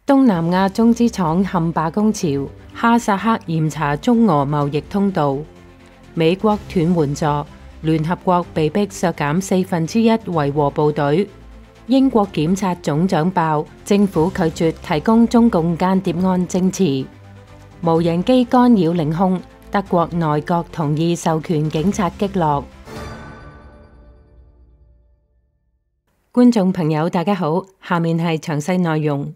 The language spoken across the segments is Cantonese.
東南亞中資廠陷罷工潮，哈薩克嚴查中俄貿易通道，美國斷援助，聯合國被迫削減1/4維和部隊，英國檢察總長爆，政府拒絕提供中共間諜案證詞，無人機干擾領空，德國內閣同意授權警察擊落。觀眾朋友大家好，下面係詳細內容。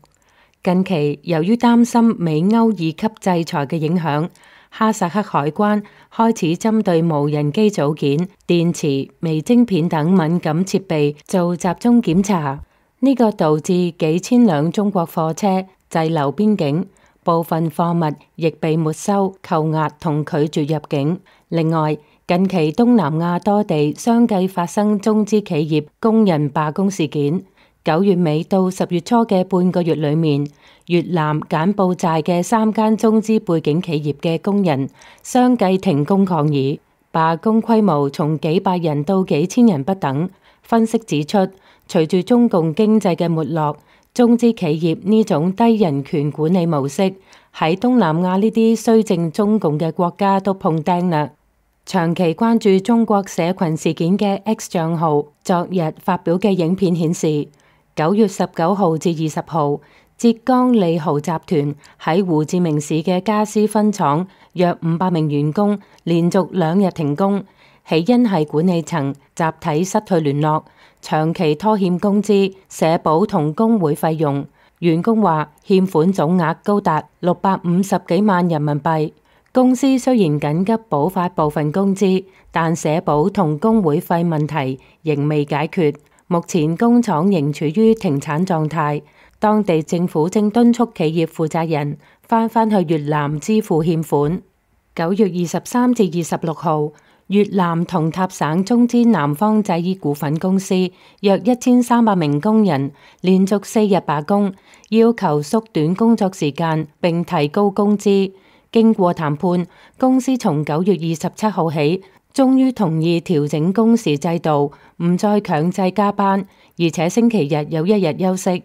近期由於擔心美歐2級制裁嘅影響，哈薩克海關開始針對無人機組件、電池、微晶片等敏感設備做集中檢查，呢個導致幾千輛中國貨車滯留邊境，部分貨物亦被沒收、扣押同拒絕入境。另外，近期東南亞多地相繼發生中資企業工人罷工事件。9月尾到10月初嘅半個月裏面，越南、柬埔寨嘅3間中資背景企業嘅工人相繼停工抗議，罷工規模從幾百人到幾千人不等。分析指出，隨住中共經濟嘅沒落，中資企業呢種低人權管理模式喺東南亞呢啲綏靖中共嘅國家都碰釘啦。長期關注中國社群事件嘅 X 賬號昨日發表嘅影片顯示，9月19號至20號，浙江利豪集團喺胡志明市嘅家私分廠約500名員工連續2日停工，起因係管理層集體失去聯絡，長期拖欠工資、社保同工會費用。員工話欠款總額高達650幾萬人民幣。公司雖然緊急補發部分工資，但社保同工會費問題仍未解決。目前工廠仍處於停產狀態，當地政府正敦促企業負責人返去越南支付欠款。9月23至26號，越南同塔省中資南方製衣股份公司約1300名工人連續4日罷工，要求縮短工作時間並提高工資。經過談判，公司從9月27號起，終於同意調整工時制度，唔再強制加班，而且星期日有1日休息。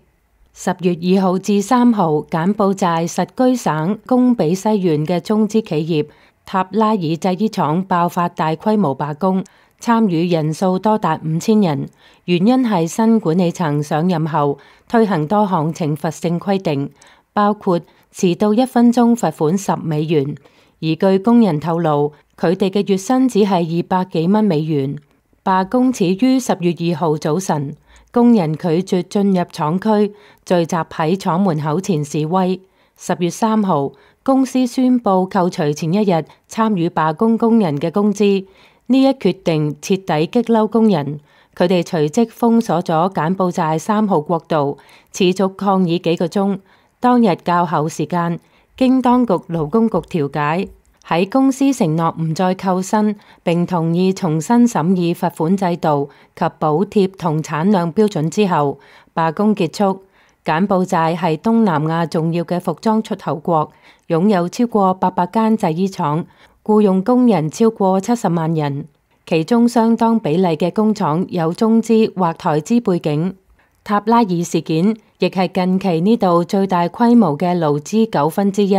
10月2號至3號，柬埔寨實居省貢比西縣嘅中資企業塔拉爾製衣廠爆發大規模罷工，參與人數多達5000人，原因係新管理層上任後推行多項懲罰性規定，包括遲到1分鐘罰款10美元，而據工人透露，佢哋嘅月薪只係200幾蚊美元。罷工始於10月2號早晨，工人拒絕進入廠區，聚集喺廠門口前示威。10月3號，公司宣布扣除前一日參與罷工工人嘅工資，呢一決定徹底激嬲工人，佢哋隨即封鎖咗柬埔寨3號國道，持續抗議幾個鐘。當日較後時間，經當局勞工局調解，喺公司承諾唔再扣薪，並同意重新審議罰款制度及補貼同產量標準之後，罷工結束。柬埔寨係東南亞重要嘅服裝出口國，擁有超過800間製衣廠，僱用工人超過70萬人，其中相當比例嘅工廠有中資或台資背景。塔拉爾事件亦係近期呢度最大規模嘅勞資糾紛之一。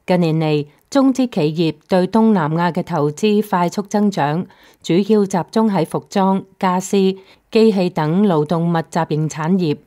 近年嚟，中資企業對東南亞嘅投資快速增長，主要集中喺服裝、家私、機器等勞動密集型產業。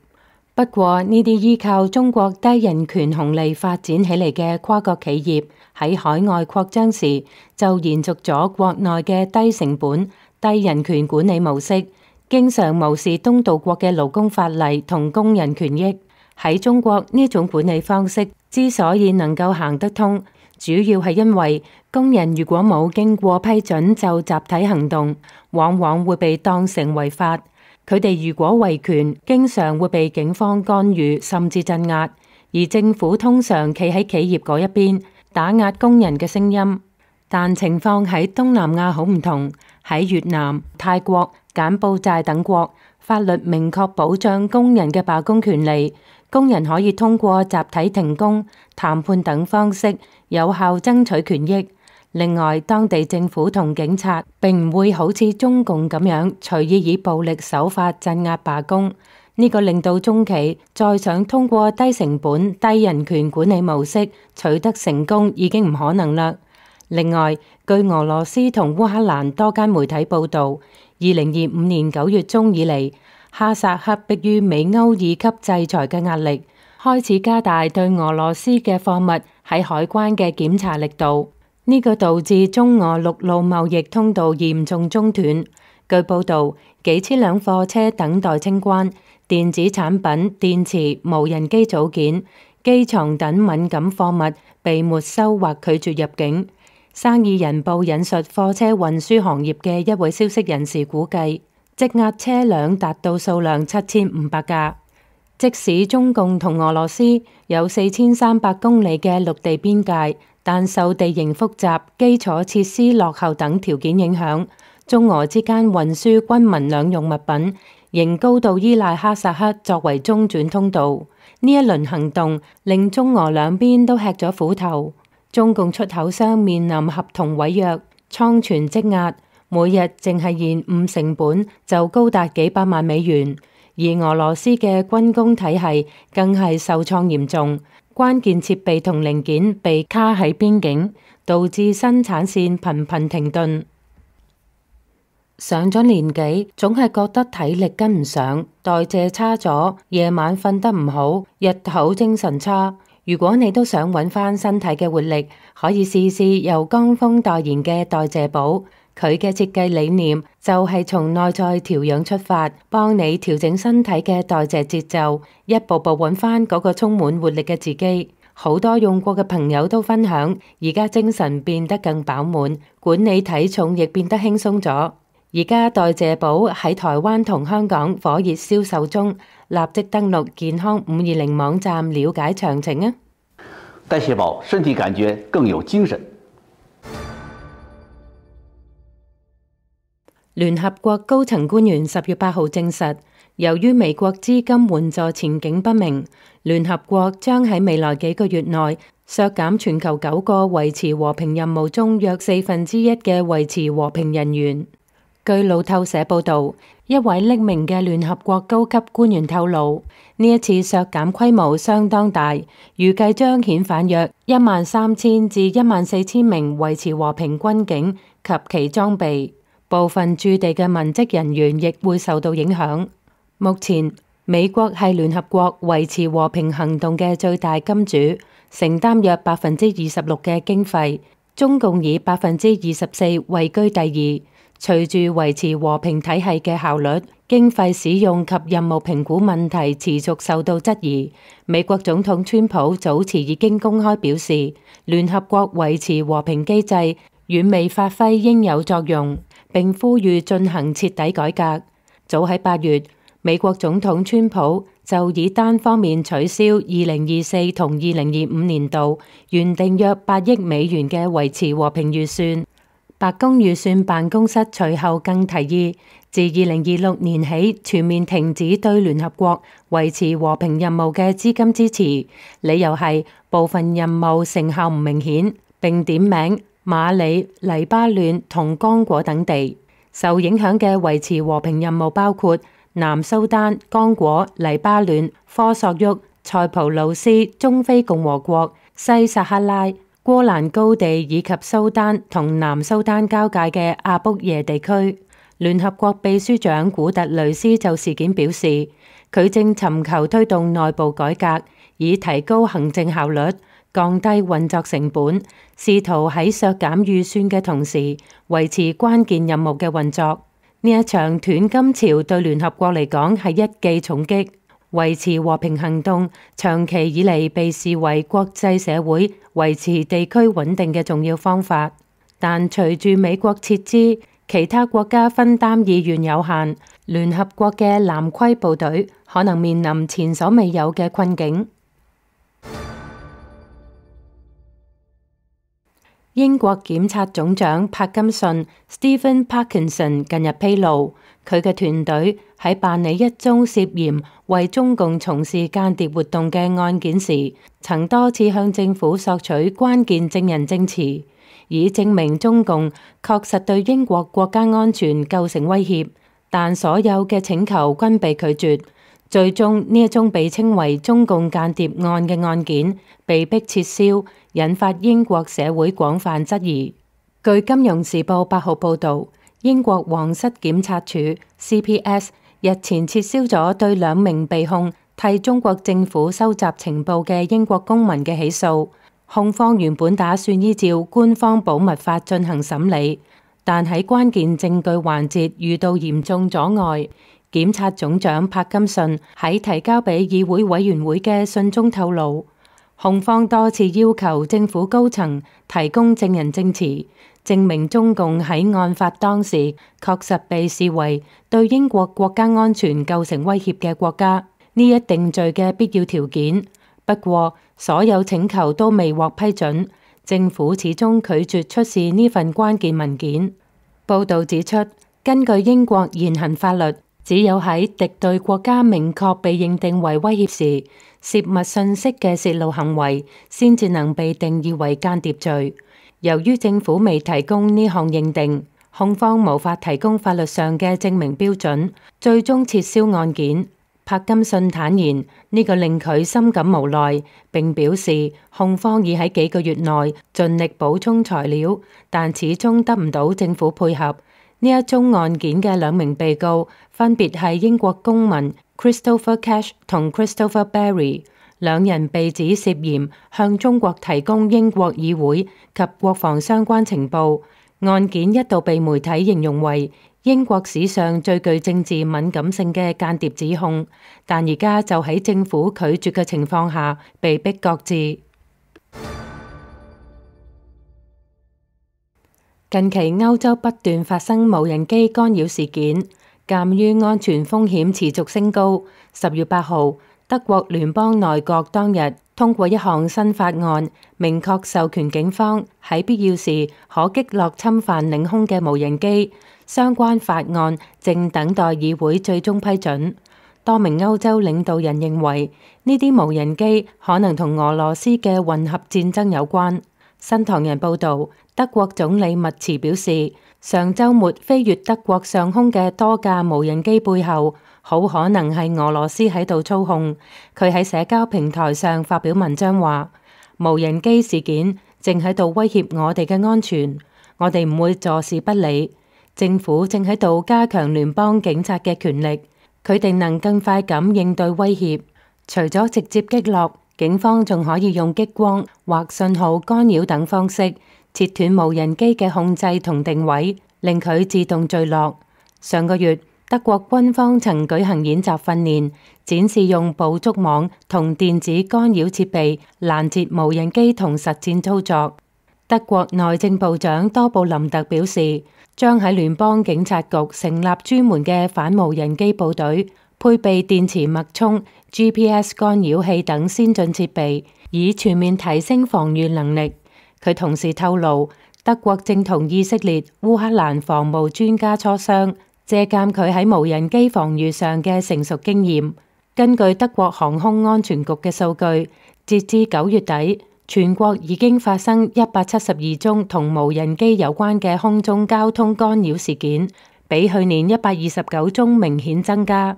不過，呢啲依靠中國低人權紅利發展起嚟嘅跨國企業喺海外擴張時，就延續咗國內嘅低成本、低人權管理模式，經常無視東道國嘅勞工法例同工人權益。喺中國，呢種管理方式之所以能夠行得通，主要係因為工人如果冇經過批准就集體行動，往往會被當成違法。佢哋如果維權，經常會被警方干預甚至鎮壓，而政府通常企喺企業嗰一邊，打壓工人嘅聲音。但情況喺東南亞好唔同，喺越南、泰國、柬埔寨等國，法律明確保障工人嘅罷工權利，工人可以通過集體停工、談判等方式有效爭取權益。另外，當地政府同警察並唔會好似中共咁樣隨意以暴力手法鎮壓罷工，呢個令到中企再想通過低成本、低人權管理模式取得成功已經唔可能啦。另外，據俄羅斯同烏克蘭多間媒體報導，2025年9月中以嚟，哈薩克迫於美歐二級制裁嘅壓力，開始加大對俄羅斯嘅貨物喺海關嘅檢查力度。呢個導致中俄陸路貿易通道嚴重中斷。據報導，幾千輛貨車等待清關，電子產品、電池、無人機組件、機床等敏感貨物被沒收或拒絕入境。生意人報引述貨車運輸行業嘅一位消息人士估計，積壓車輛達到數量7500架。即使中共同俄羅斯有4300公里嘅陸地邊界，但受地形複雜、基礎設施落後等條件影響，中俄之間運輸軍民兩用物品仍高度依賴哈薩克作為中轉通道。呢一輪行動令中俄兩邊都吃咗苦頭。中共出口商面臨合同違約、倉存積壓，每日淨係延誤成本就高達幾百萬美元。而俄羅斯嘅軍工體系更係受創嚴重，關鍵設備同零件被卡喺邊境，導致生產線頻頻停頓。上咗年紀，總係覺得體力跟唔上，代謝差咗，夜晚瞓得唔好，日頭精神差。如果你都想揾翻身體嘅活力，可以試試由江峰代言嘅代謝寶。佢嘅設計理念就係從內在調養出發，幫你調整身體嘅代謝節奏，一步步揾翻嗰個充滿活力嘅自己。好多用過嘅朋友都分享，而家精神變得更飽滿，管理體重亦變得輕鬆咗。而家代謝寶喺台灣同香港火熱銷售中，立即登錄健康520網站了解詳情啊！代謝寶，身體感覺更有精神。聯合國高層官員10月8號證實，由於美國資金援助前景不明，聯合國將喺未來幾個月內削減全球9個維持和平任務中約1/4嘅維持和平人員。據路透社報導，一位匿名嘅聯合國高級官員透露，呢一次削減規模相當大，預計將遣返約13000至14000名維持和平軍警及其裝備，部分駐地嘅文職人員亦會受到影響。目前，美國係聯合國維持和平行動嘅最大金主，承擔約26%嘅經費，中共以24%位居第二。隨住維持和平體系嘅效率、經費使用及任務評估問題持續受到質疑，美國總統川普早前已經公開表示，聯合國維持和平機制遠未發揮應有作用，並呼籲進行徹底改革。早喺8月，美國總統川普就以單方面取消2024同2025年度原定約8億美元嘅維持和平預算。白宮預算辦公室隨後更提議，自2026年起全面停止對聯合國維持和平任務嘅資金支持，理由係部分任務成效唔明顯，並點名馬里、黎巴嫩同剛果等地。受影響嘅維持和平任務包括南蘇丹、剛果、黎巴嫩、科索沃、塞浦路斯、中非共和國、西撒哈拉、戈蘭高地以及蘇丹同南蘇丹交界嘅阿卜耶地區。聯合國秘書長古特雷斯就事件表示，佢正尋求推動內部改革，以提高行政效率、降低運作成本，試圖喺削減預算嘅同時維持關鍵任務嘅運作。呢一場斷金潮對聯合國嚟講係一記重擊。維持和平行動長期以嚟被視為國際社會維持地區穩定嘅重要方法，但隨住美國撤資，其他國家分擔意願有限，聯合國嘅藍盔部隊可能面臨前所未有嘅困境。英國檢察總長柏金遜 Stephen Parkinson 近日披露，佢嘅團隊喺辦理一宗涉嫌為中共從事間諜活動嘅案件時，曾多次向政府索取關鍵證人證詞，以證明中共確實對英國國家安全構成威脅，但所有嘅請求均被拒絕。最終呢一宗被稱為中共間諜案嘅案件被迫撤銷，引發英國社會廣泛質疑。據《金融時報》8號報導，英國皇室檢察署 CPS 日前撤銷咗對2名被控替中國政府收集情報嘅英國公民嘅起訴。控方原本打算依照官方保密法進行審理，但喺關鍵證據環節遇到嚴重阻礙。檢察總長柏金遜喺提交俾議會委員會嘅信中透露，控方多次要求政府高層提供證人證詞，證明中共喺案發當時確實被視為對英國國家安全構成威脅嘅國家，呢一定罪嘅必要條件。不過，所有請求都未獲批准，政府始終拒絕出示呢份關鍵文件。報導指出，根據英國現行法律，只有喺敵對國家明確被認定為威脅時，泄密信息嘅泄露行為先至能被定義為間諜罪。由於政府未提供呢項認定，控方無法提供法律上嘅證明標準，最終撤銷案件。柏金遜坦言，呢個令佢深感無奈，並表示控方已喺幾個月內盡力補充材料，但始終得唔到政府配合。呢一宗案件嘅2名被告分別係英國公民 Christopher Cash 同 Christopher Barry， 2人被指涉嫌向中國提供英國議會及國防相關情報。案件一度被媒體形容為英國史上最具政治敏感性嘅間諜指控，但而家就喺政府拒絕嘅情況下被迫擱置。近期歐洲不斷發生無人機干擾事件，鑑於安全風險持續升高，10月8號，德國聯邦內閣當日通過一項新法案，明確授權警方喺必要時可擊落侵犯領空嘅無人機。相關法案正等待議會最終批准。多名歐洲領導人認為呢啲無人機可能同俄羅斯嘅混合戰爭有關。新唐人報導，德國總理密茨表示，上週末飛越德國上空嘅多架無人機背後，好可能係俄羅斯喺度操控。佢喺社交平台上發表文章話，無人機事件正喺度威脅我哋嘅安全，我哋唔會坐視不理。政府正喺度加強聯邦警察嘅權力，佢哋能更快咁應對威脅。除咗直接擊落，警方仲可以用激光或信號干擾等方式切斷無人機嘅控制同定位，令佢自動墜落。上個月，德國軍方曾舉行演習訓練，展示用捕捉網同電子干擾設備攔截無人機同實戰操作。德國內政部長多布林特表示，將喺聯邦警察局成立專門嘅反無人機部隊，配備電磁脈衝、GPS 干擾器等先進設備，以全面提升防禦能力。佢同時透露，德國正同以色列、烏克蘭防務專家磋商，借鑑佢喺無人機防禦上嘅成熟經驗。根據德國航空安全局嘅數據，截至9月底，全國已經發生172宗同無人機有關嘅空中交通干擾事件，比去年129宗明顯增加。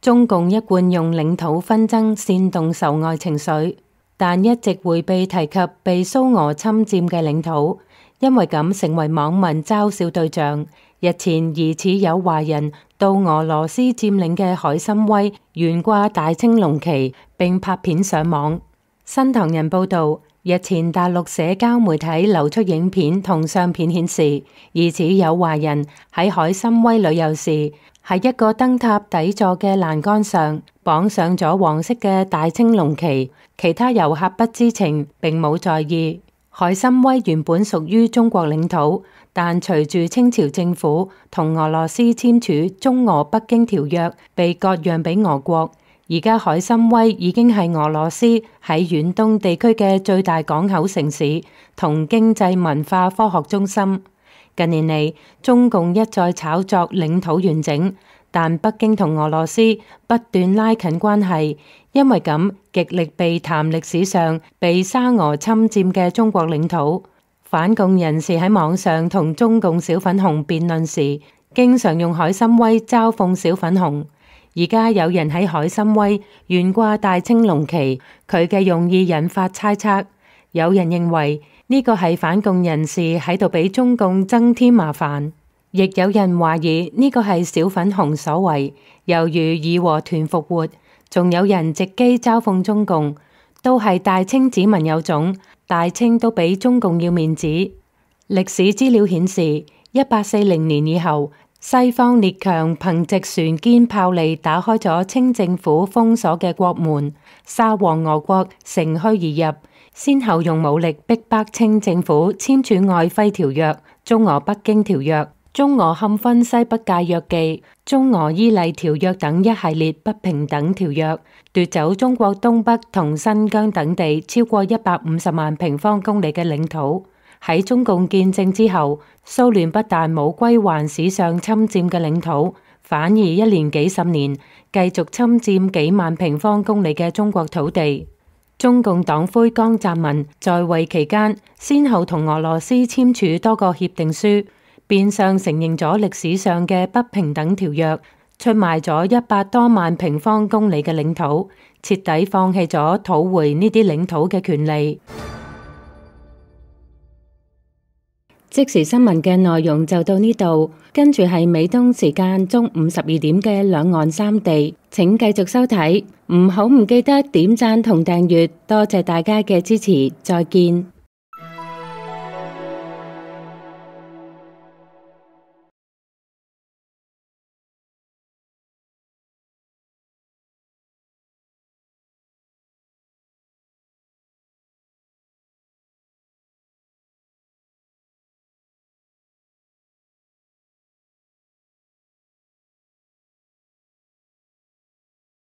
中共一貫用領土紛爭煽動仇外情緒，但一直迴避提及被蘇俄侵佔嘅領土，因為咁成為網民嘲笑對象。日前疑似有華人到俄羅斯佔領嘅海參崴懸掛大青龍旗並拍片上網。新唐人報導，日前大陸社交媒體流出影片同相片顯示，疑似有華人喺海參崴旅遊時，喺一個燈塔底座嘅欄杆上綁上咗黃色嘅大青龍旗，其他遊客不知情並冇在意。海參崴原本屬於中國領土，但隨住清朝政府同俄羅斯簽署《中俄北京條約》，被割讓俾俄國。而家海參崴已經係俄羅斯喺遠東地區嘅最大港口城市同經濟文化科學中心。近年嚟，中共一再炒作領土完整，但北京同俄羅斯不斷拉近關係，因為咁極力避談歷史上被沙俄侵佔嘅中國領土。反共人士喺網上同中共小粉紅辯論時，經常用海參崴嘲諷小粉紅。而家有人喺海參崴懸掛大清龍旗，佢嘅用意引發猜測。有人認為呢個係反共人士喺度俾中共增添麻煩，亦有人懷疑呢個係小粉紅所為，猶如義和團復活。仲有人藉機嘲諷中共，都係大清子民有種，大清都比中共要面子。歷史資料顯示，1840年以後，西方列強憑藉船堅炮利打開咗清政府封鎖嘅國門，沙皇俄國乘虛而入，先後用武力逼迫清政府簽署愛輝條約、中俄北京條約、中俄勘分西北界約記、中俄伊犁條約等一系列不平等條約，奪走中國東北同新疆等地超過150萬平方公里嘅領土。喺中共建政之後，蘇聯不但冇歸還史上侵佔嘅領土，反而一連幾十年繼續侵佔幾萬平方公里嘅中國土地。中共黨魁江澤民在位期間，先後同俄羅斯簽署多個協定書，變相承認咗歷史上嘅不平等條約，出賣咗100多萬平方公里嘅領土，徹底放棄咗討回呢啲領土嘅權利。即時新聞嘅內容就到呢度，跟住係美東時間中午12點嘅兩岸三地，請繼續收睇，唔記得點讚同訂閱，多謝大家嘅支持，再見。